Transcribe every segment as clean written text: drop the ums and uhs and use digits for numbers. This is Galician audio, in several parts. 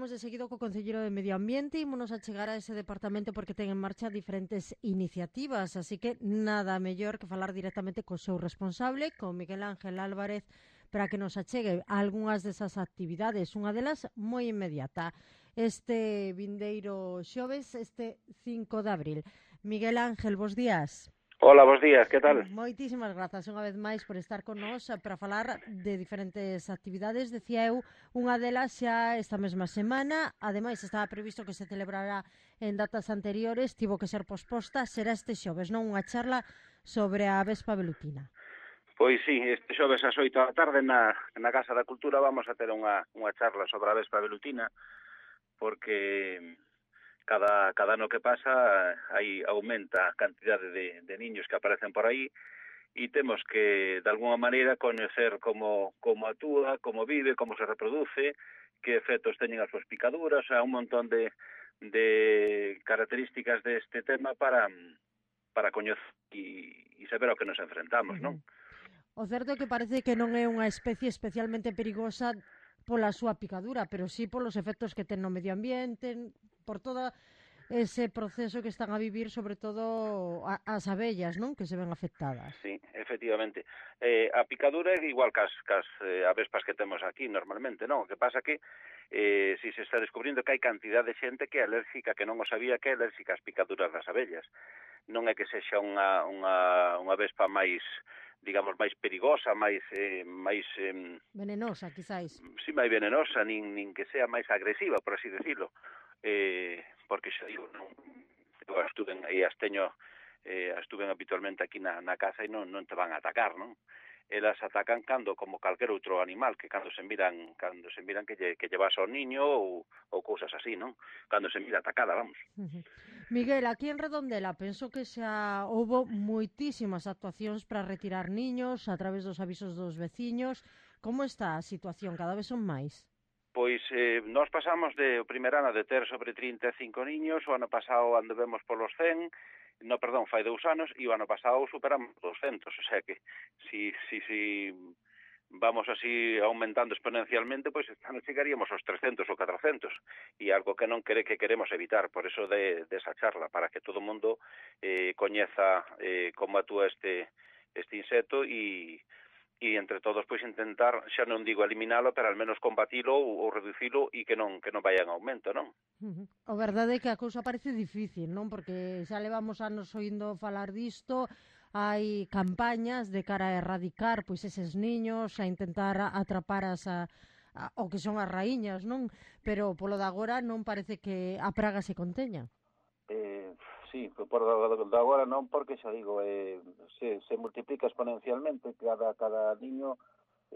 Vamos de seguido co Concelleiro de Medio Ambiente e ímonos a chegar a ese departamento porque ten en marcha diferentes iniciativas, así que nada mellor que falar directamente co seu responsable, con Miguel Ángel Álvarez, para que nos achegue algunhas desas actividades, unha delas moi inmediata, este vindeiro xoves, este 5 de abril. Miguel Ángel, bos días. Hola, bos días, que tal? Moitísimas grazas unha vez máis por estar con nós para falar de diferentes actividades. Decía eu, unha delas xa esta mesma semana, ademais estaba previsto que se celebrará en datas anteriores, tivo que ser posposta, será este xoves, non? Unha charla sobre a Vespa velutina. Pois sí, este xoves ás 8 da tarde na Casa da Cultura vamos a ter unha charla sobre a Vespa velutina, porque cada ano que pasa aí aumenta a cantidade de niños que aparecen por aí e temos que, de alguna maneira, coñecer como actúa, como vive, como se reproduce, que efectos teñen as súas picaduras, un montón de características deste tema para coñecer e saber ao que nos enfrentamos, non? O certo é que parece que non é unha especie especialmente perigosa pola súa picadura, pero sí polos efectos que ten no medio ambiente, por todo ese proceso que están a vivir, sobre todo as abellas, non? Que se ven afectadas. Sí, efectivamente. A picadura é igual cas avespas que temos aquí normalmente, non? O que pasa que si se está descubrindo que hai cantidad de xente que é alérgica, que non o sabía, que é alérgica ás picaduras das abellas. Non é que sexa unha vespa máis, digamos, máis perigosa, máis venenosa, quizáis. si máis venenosa, nin que sea máis agresiva, por así decirlo. Porque xa digo, non, eu estuven habitualmente aquí na casa e non te van a atacar, non? Elas atacan como calquer outro animal, que cando se miran que lle vas ao niño ou cousas así, non? Cando se mira atacada, vamos. Miguel, aquí en Redondela penso que xa houbo moitísimas actuacións para retirar niños a través dos avisos dos veciños. Como está a situación? Cada vez son máis? Pois nós pasamos o primer ano de ter sobre 35 niños, o ano pasado anduvemos polos 100, fai 2 anos, e o ano pasado superamos 200, o sea que si vamos así aumentando exponencialmente, pois este ano chegaríamos aos 300 ou 400, e algo que non queremos evitar, por eso desa charla, para que todo o mundo coñeza como actúa este insecto e entre todos pois intentar, xa non digo eliminalo, pero al menos combatilo ou reducilo e que non vaya en aumento, non? O verdade é que a cousa parece difícil, non? Porque xa levamos anos oindo falar disto, hai campañas de cara a erradicar pois eses niños, a intentar atrapar o que son as raíñas, non? Pero polo de agora non parece que a praga se conteña. Sí, por de agora non, porque xa digo, se multiplica exponencialmente, cada niño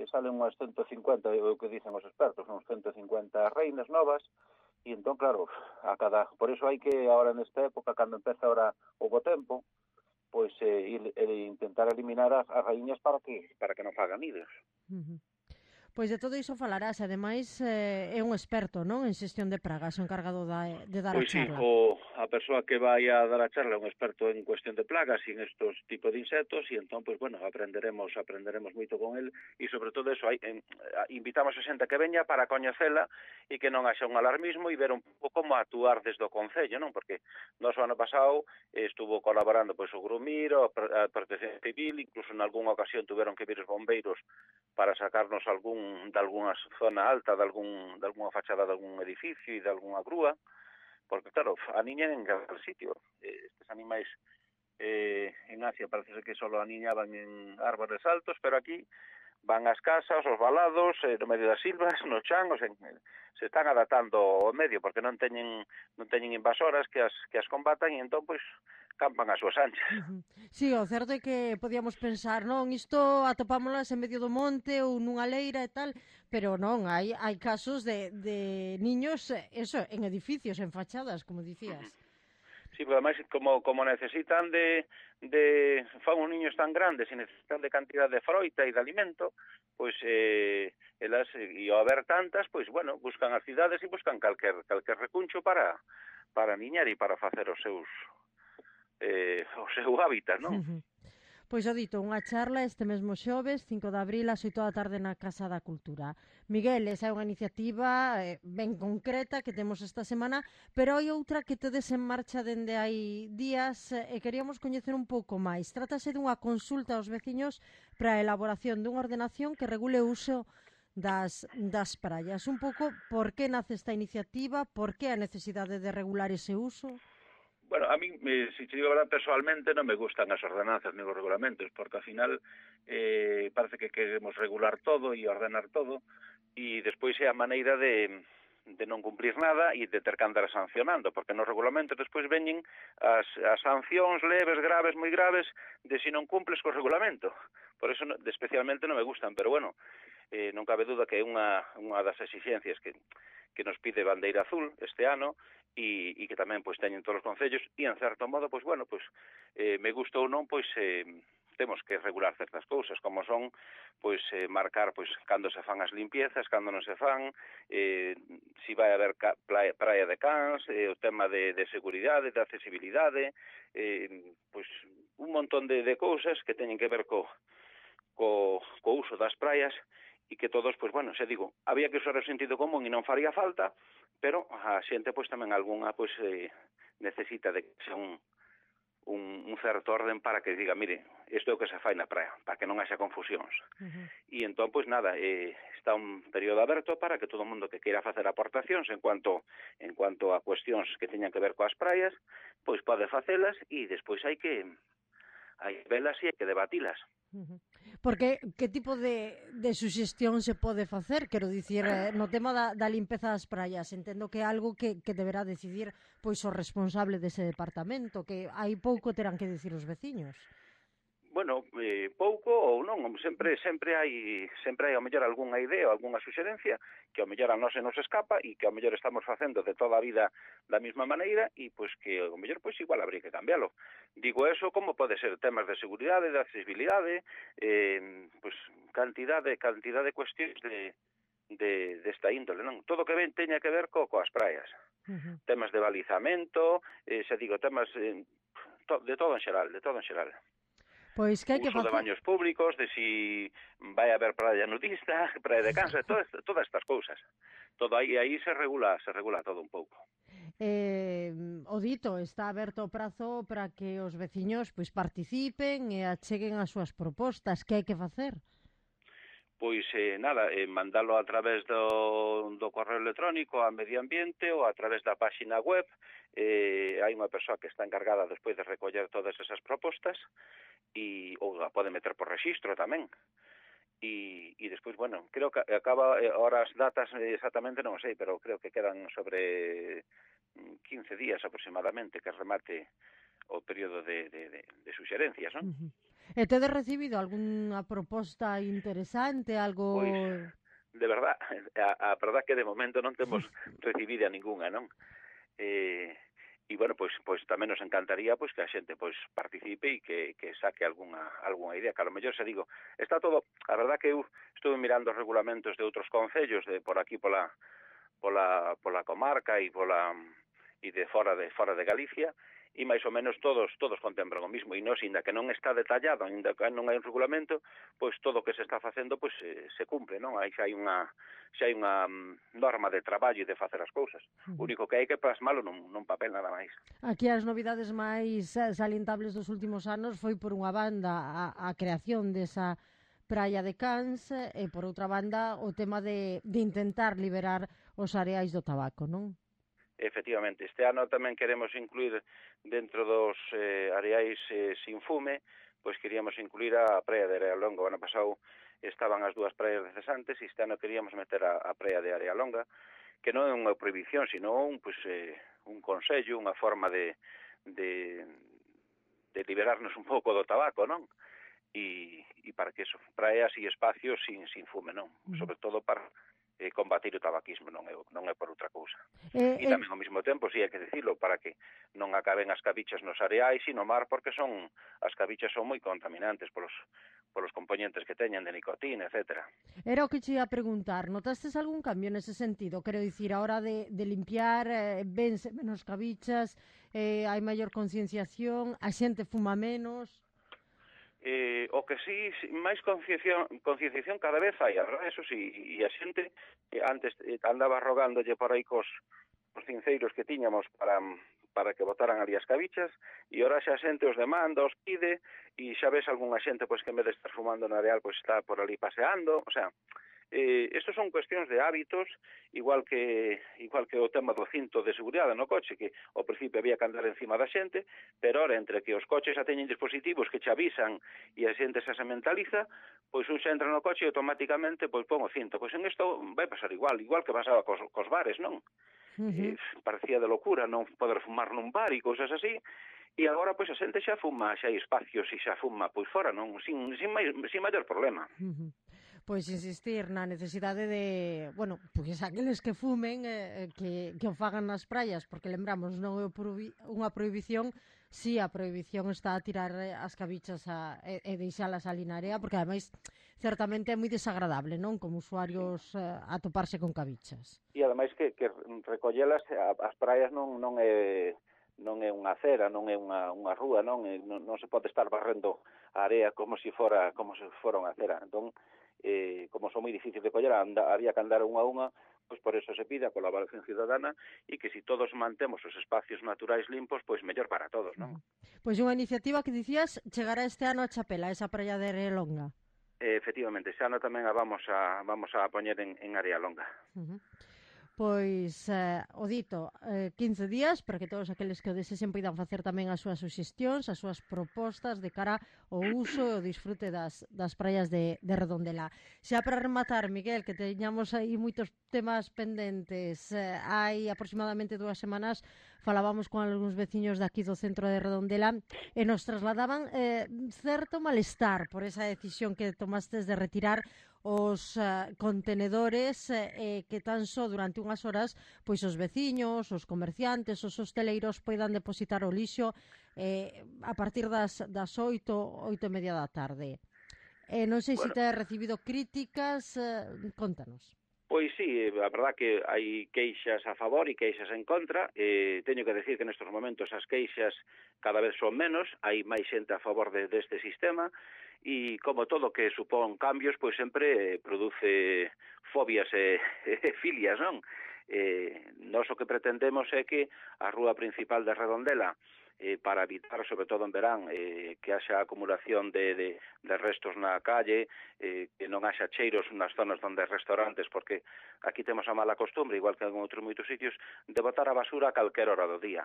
salen unhas 150, o que dicen os expertos, uns 150 reinas novas, e entón, claro, por eso hai que, ahora nesta época, cando empeza ahora o bo tempo, pois intentar eliminar as raíñas para que non fagan nidos. Pois de todo iso falarás, ademais é un experto, non, en xestión de pragas, o encargado de dar a Pois sí, charla. a persoa que vai a dar a charla é un experto en cuestión de plagas e en estos tipos de insectos e entón, pois, bueno, aprenderemos moito con el e sobre todo eso, invitamos a xente que veña para coñecela e que non haxa un alarmismo e ver un pouco como actuar desde o Concello, non? Porque nós o ano pasado estuvo colaborando pois o Grumir, a Protección Civil, incluso en algunha ocasión tuveron que vir os bombeiros para sacarnos de algunha zona alta, de algunha fachada de algún edificio e de algunha grúa, porque claro, aniñan en cada sitio. Estes animais en Asia parece que só aniñaban en árbores altos, pero aquí van ás casas, aos valados, no medio das silvas, no chan, se están adaptando ao medio, porque non teñen invasoras que as combatan e entón, pois, campan as súas anchas. Sí, o certo é que podíamos pensar, non, isto atopámolas en medio do monte ou nunha leira e tal, pero non, hai casos de niños, eso, en edificios, en fachadas, como dicías. Sí, pero además, como necesitan fan os niños tan grandes e necesitan de cantidad de froita e de alimento, pois elas, e ao haber tantas, pois, bueno, buscan as cidades e buscan calquer recuncho para niñar e para facer o seu hábitat, non? Pois o dito, unha charla este mesmo xoves, 5 de abril, ás 8 da tarde na Casa da Cultura. Miguel, esa é unha iniciativa ben concreta que temos esta semana, pero hai outra que tedes en marcha dende hai días e queríamos coñecer un pouco máis. Trátase dunha consulta aos veciños para a elaboración dunha ordenación que regule o uso das praias. Un pouco por que nace esta iniciativa, por que a necesidade de regular ese uso? Bueno, a mí, si te digo a verdad, personalmente non me gustan as ordenanzas ni os regulamentos, porque ao final parece que queremos regular todo e ordenar todo, e despois é a maneira de non cumplir nada e de ter que andar sancionando, porque nos regulamentos despois veñen as sancións leves, graves, moi graves, de se non cumples co regulamento. Por eso especialmente non me gustan, pero bueno, non cabe duda que é unha das exixencias que nos pide Bandeira Azul este ano e que tamén pois teñen todos os concellos e en certo modo, pois bueno, pois me gusta ou non, pois temos que regular certas cousas, como son pois marcar pois cando se fan as limpiezas, cando non se fan, si vai haber praia de cans, o tema de seguridade, de accesibilidade, pois un montón de cousas que teñen que ver co uso das praias e que todos, pois bueno, xa digo, había que usar o sentido común e non faría falta, pero a xente pois tamén algunha pois necesita de que sea un certo orden para que diga, mire, isto é o que se fai na praia, para que non haxa confusións. E entón, pois nada, está un período aberto para que todo o mundo que queira facer aportacións en cuanto a cuestións que teñan que ver coas praias, pois pode facelas e despois hai velas e hai que debatilas. Porque que tipo de suxestión se pode facer? Quero dicir, no tema da limpeza das praias, entendo que é algo que deberá decidir pois o responsable dese departamento, que hai pouco terán que dicir os veciños. Bueno, pouco ou non, sempre hai ao mellor algunha idea ou algunha suxerencia que ao mellor a nós se nos escapa e que ao mellor estamos facendo de toda a vida da mesma maneira e pois que ao mellor pois igual habría que cambiálo. Digo eso como pode ser temas de seguridade, de accesibilidade, pois cantidad de cuestións desta índole, non? Todo que ben teña que ver coas praias. Temas de balizamento, xa digo, temas de todo en xeral. Pois que hai que uso de baños públicos, de si vai haber praia nudista, praia de cansa, todas estas cousas. Todo aí se regula todo un pouco. O dito, está aberto o prazo para que os veciños pois participen e acheguen as súas propostas. Que hai que facer? Pois nada, mandalo a través do correo electrónico a Medio Ambiente ou a través da páxina web. Hai unha persoa que está encargada despois de recoller todas esas propostas ou a pode meter por rexistro tamén. E despois, bueno, creo que acaba, ahora as datas exactamente non sei, pero creo que quedan sobre 15 días aproximadamente que remate o período de suxerencias, non? E tedes recibido algunha proposta interesante, algo... Pois, de verdad, a verdad que de momento non temos recibida ningunha, non? E bueno, pois tamén nos encantaría pois que a xente pois participe e que saque algunha idea, que a lo mellor se digo, está todo, a verdad que eu estuve mirando os regulamentos de outros concellos de por aquí pola comarca e de fora de Galicia e máis ou menos todos contemplan o mismo e non, ainda que non está detallado, ainda que non hai un regulamento, pois todo o que se está facendo pois se cumpre, non? Xa hai unha norma de traballo e de facer as cousas. O único que hai que plasmalo nun papel nada máis. Aquí as novidades máis salientables dos últimos anos foi por unha banda a creación desa praia de Cans e por outra banda o tema de intentar liberar os areais do tabaco, non? Efectivamente, este ano tamén queremos incluir dentro dos areais sin fume, pois queríamos incluir a praia de Area Longa. O ano pasado estaban as dúas praias de Cesantes e este ano queríamos meter a praia de Area Longa, que non é unha prohibición, sino un consello, unha forma de liberarnos un pouco do tabaco, non? E para que eso, praeas e espacios sin fume, non? Sobre todo para combatir o tabaquismo, non é por outra cousa. E tamén ao mesmo tempo, si hai que dicilo, para que non acaben as cabichas nos areais e no mar, porque as cabichas son moi contaminantes polos componentes que teñen de nicotina, etcétera. Era o que che ia preguntar, notastes algún cambio nese sentido? Quero dicir, a hora de limpiar, vense menos cabichas, hai maior concienciación, a xente fuma menos... O que sí, máis concienciación cada vez hai, a verdade, eso sí, e a xente antes andaba rogándolle por aí cos cinceiros que tiñamos para que botaran ali as cabichas, e ora xa a xente os demanda, os pide, e xa ves algunha xente pois que en vez de estar fumando na areal, pois está por ali paseando, o sea, estos son cuestións de hábitos, igual que o tema do cinto de seguridade no coche, que ao principio había que andar encima da xente, pero ora entre que os coches xa teñen dispositivos que che avisan e a xente xa se mentaliza, pois un xa entra no coche e automáticamente pois pon o cinto. Pois en isto vai pasar igual que pasaba cos bares, non? Parecía de locura non poder fumar nun bar e cousas así, e agora pois a xente xa fuma, xa hai espacios e xa fuma pois fora, non? Sin maior problema. Pois insistir na necesidade de, bueno, pois aqueles que fumen que o fagan nas praias, porque lembramos, non é unha prohibición, si a prohibición está a tirar as cabichas e deixalas ali na area, porque ademais certamente é moi desagradable, non? Como usuarios atoparse con cabichas. E ademais que recollelas, as praias non é unha acera, non é unha rúa, non se pode estar barrendo a area como se fora unha acera. Entón, como son moi difíciles de coller, había que andar unha a unha, pois por eso se pide a colaboración ciudadana e que si todos mantemos os espacios naturais limpos, pois mellor para todos, non? Pois unha iniciativa que dicías chegará este ano a Chapela, esa praia de Arealonga. Efectivamente, xa ano tamén a vamos a poñer en Arealonga. Pois, o dito, 15 días para que todos aqueles que o desexen poidan facer tamén as súas suxestións, as súas propostas de cara ao uso e o disfrute das praias de Redondela. Xa para rematar, Miguel, que teñamos aí moitos temas pendentes, hai aproximadamente 2 semanas falábamos con algúns veciños daqui do centro de Redondela e nos trasladaban certo malestar por esa decisión que tomastes de retirar os contenedores que tan só durante unhas horas pois os veciños, os comerciantes, os hosteleiros poidan depositar o lixo a partir das 8:30 da tarde. Non sei se te has recibido críticas, contanos. Pois sí, a verdad que hai queixas a favor e queixas en contra. Teño que decir que nestes momentos as queixas cada vez son menos, hai máis xente a favor deste sistema, e como todo que supón cambios, pois sempre produce fobias e filias, non? Nós o que pretendemos é que a rúa principal de Redondela, para evitar, sobre todo en verán, que haxa acumulación de restos na calle, que non haxa cheiros nas zonas onde hai restaurantes, porque aquí temos a mala costumbre, igual que en outros moitos sitios, de botar a basura a calquera hora do día.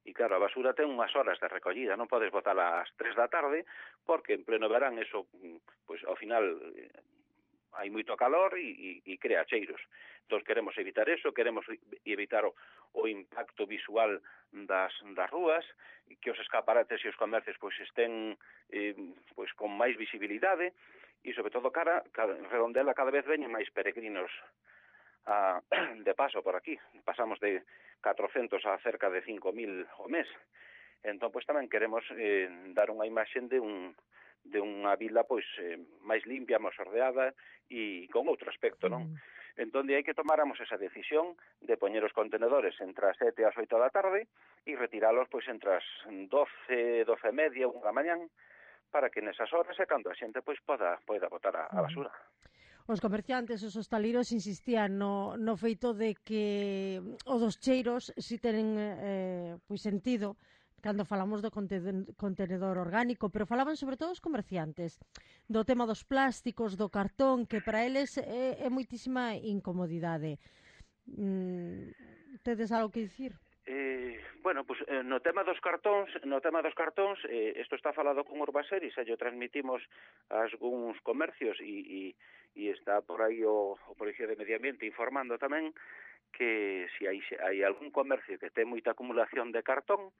E claro, a basura ten unhas horas de recollida, non podes botala ás 3 da tarde, porque en pleno verán eso, pois ao final hai moito calor e crea cheiros. Entón queremos evitar eso, queremos evitar o impacto visual das rúas, que os escaparates e os comercios pois estén pois con máis visibilidade, e sobre todo en Redondela cada vez veñen máis peregrinos de paso por aquí. Pasamos de 400 a cerca de 5.000 ao mes. Entón, pois tamén queremos dar unha imaxe de unha vila pois máis limpia, máis ordeada e con outro aspecto, non? Entón, hai que tomáramos esa decisión de poñer os contenedores entre as 7 e as 8 da tarde e retiralos pois entre as 12, 12:30, 1 da mañán, para que nesas horas é cando a xente pois poida botar a basura. Os comerciantes, os hostaleiros insistían no feito de que o dos cheiros si tenen pois sentido cando falamos do contenedor orgánico, pero falaban sobre todo os comerciantes do tema dos plásticos, do cartón, que para eles é moitísima incomodidade. Tedes algo que dicir? Bueno, pues no tema dos cartóns, isto está falado con Urbaser e xa lle transmitimos a algúns comercios e está por aí o Policía de Medio Ambiente informando tamén que se hai algún comercio que ten moita acumulación de cartón,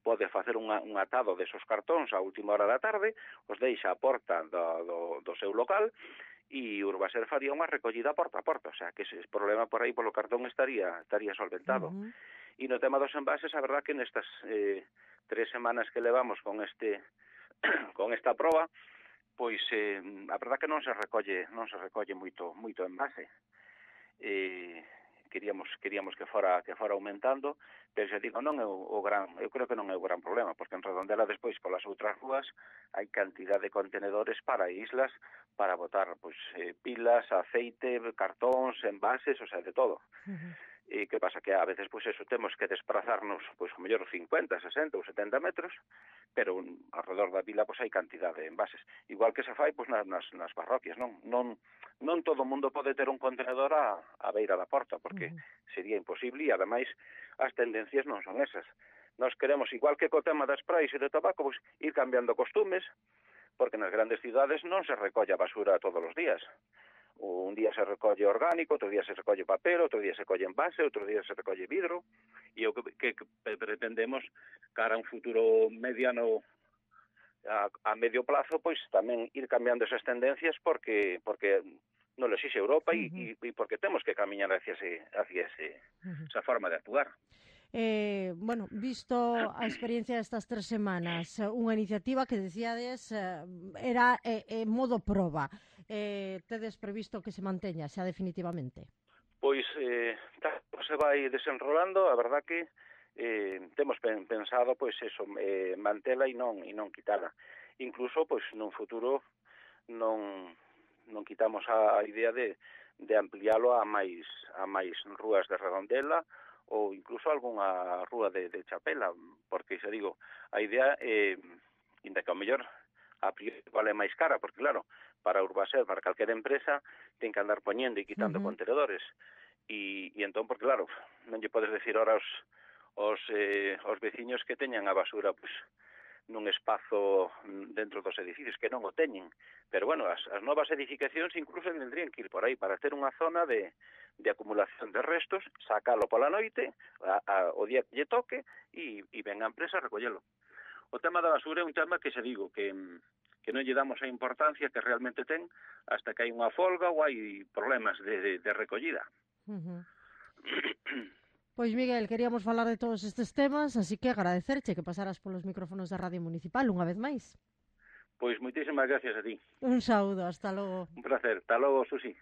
pode facer un atado desos cartóns a última hora da tarde, os deixa a porta do seu local e Urbaser faría unha recollida porta a porta, o sea, que ese problema por aí polo cartón estaría solventado. E no tema dos envases, a verdad que nestas 3 semanas que levamos con esta proba, pois a verdad que non se recolle moito envase. queríamos que fora aumentando, pero xa digo, eu creo que non é o gran problema, porque en Redondela despois polas outras rúas hai cantidad de contenedores para islas para botar pois pilas, aceite, cartóns, envases, o sea, de todo. E que pasa que a veces pois eso temos que desplazarnos pois ao mellor 50, 60 ou 70 metros, pero alrededor da vila pois hai cantidad de envases. Igual que se fai pois nas parroquias, non todo o mundo pode ter un contenedor a beira da porta, porque sería imposible e ademais as tendencias non son esas. Nós queremos, igual que co tema das praias e do tabaco, pois ir cambiando costumes, porque nas grandes cidades non se recolle a basura todos os días. Un día se recolle orgánico, outro día se recolle papel, outro día se colle envase, outro día se recolle vidro, e o que pretendemos cara a un futuro mediano a medio plazo, pois tamén ir cambiando esas tendencias porque non lo exixe Europa e porque temos que camiñar hacia esa forma de actuar. Bueno, visto a experiencia destas 3 semanas, unha iniciativa que decíades era modo proba. Tedes previsto que se manteña xa definitivamente? Pois se vai desenrolando, a verdad que temos pensado pois eso, mantela e non quitala. Incluso pois nun futuro non quitamos a idea de ampliálo a máis rúas de Redondela ou incluso algunha rúa de Chapela, porque xa digo, a idea inda que ao mellor a priori vale máis cara, porque claro, para Urbaser, para calquera empresa, ten que andar poñendo e quitando contenedores. E entón, porque claro, non lle podes decir ahora aos veciños que teñan a basura pois nun espazo dentro dos edificios, que non o teñen. Pero bueno, as novas edificacións incluso vendrían que ir por aí para ter unha zona de acumulación de restos, sacalo pola noite, o día que lle toque, e ven a empresa a recollelo. O tema da basura é un tema que xa digo, que non lle damos a importancia que realmente ten hasta que hai unha folga ou hai problemas de recollida. Pois Miguel, queríamos falar de todos estes temas, así que agradecerche que pasaras polos micrófonos da Radio Municipal unha vez máis. Pois moitísimas gracias a ti. Un saúdo, hasta logo. Un placer, hasta logo, Susi.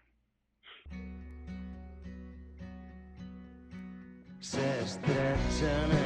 Se estrechan